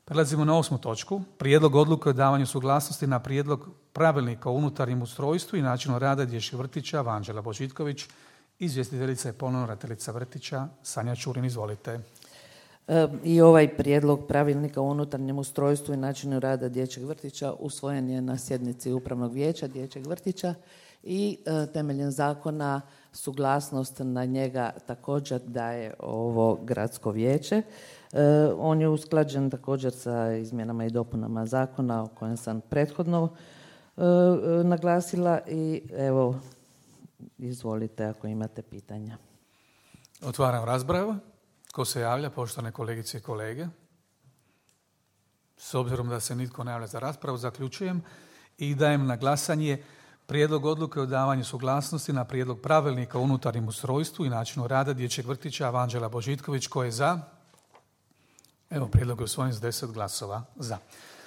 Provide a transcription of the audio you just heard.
Prelazimo na 8. točku. Prijedlog odluke o davanju suglasnosti na prijedlog pravilnika o unutarnjem ustrojstvu i načinu rada dječjih vrtića. Vanđela Božitković, izvjestiteljica je ponovno ravnateljica vrtića Sanja Čurin. Izvolite. I ovaj prijedlog pravilnika o unutarnjem ustrojstvu i načinu rada dječjeg vrtića usvojen je na sjednici Upravnog vijeća dječjeg vrtića i temeljem zakona suglasnost na njega također daje ovo gradsko vijeće. On je usklađen također sa izmjenama i dopunama zakona o kojem sam prethodno naglasila i evo, izvolite ako imate pitanja. Otvaram raspravu. Ko se javlja, poštovane kolegice i kolege? S obzirom da se nitko ne javlja za raspravu, zaključujem i dajem na glasanje prijedlog odluke o davanju suglasnosti na prijedlog pravilnika o unutarnjem ustrojstvu i načinu rada dječjeg vrtića. Vanđela Božitković, ko je za? Evo, prijedlog je usvojen s 10 glasova za.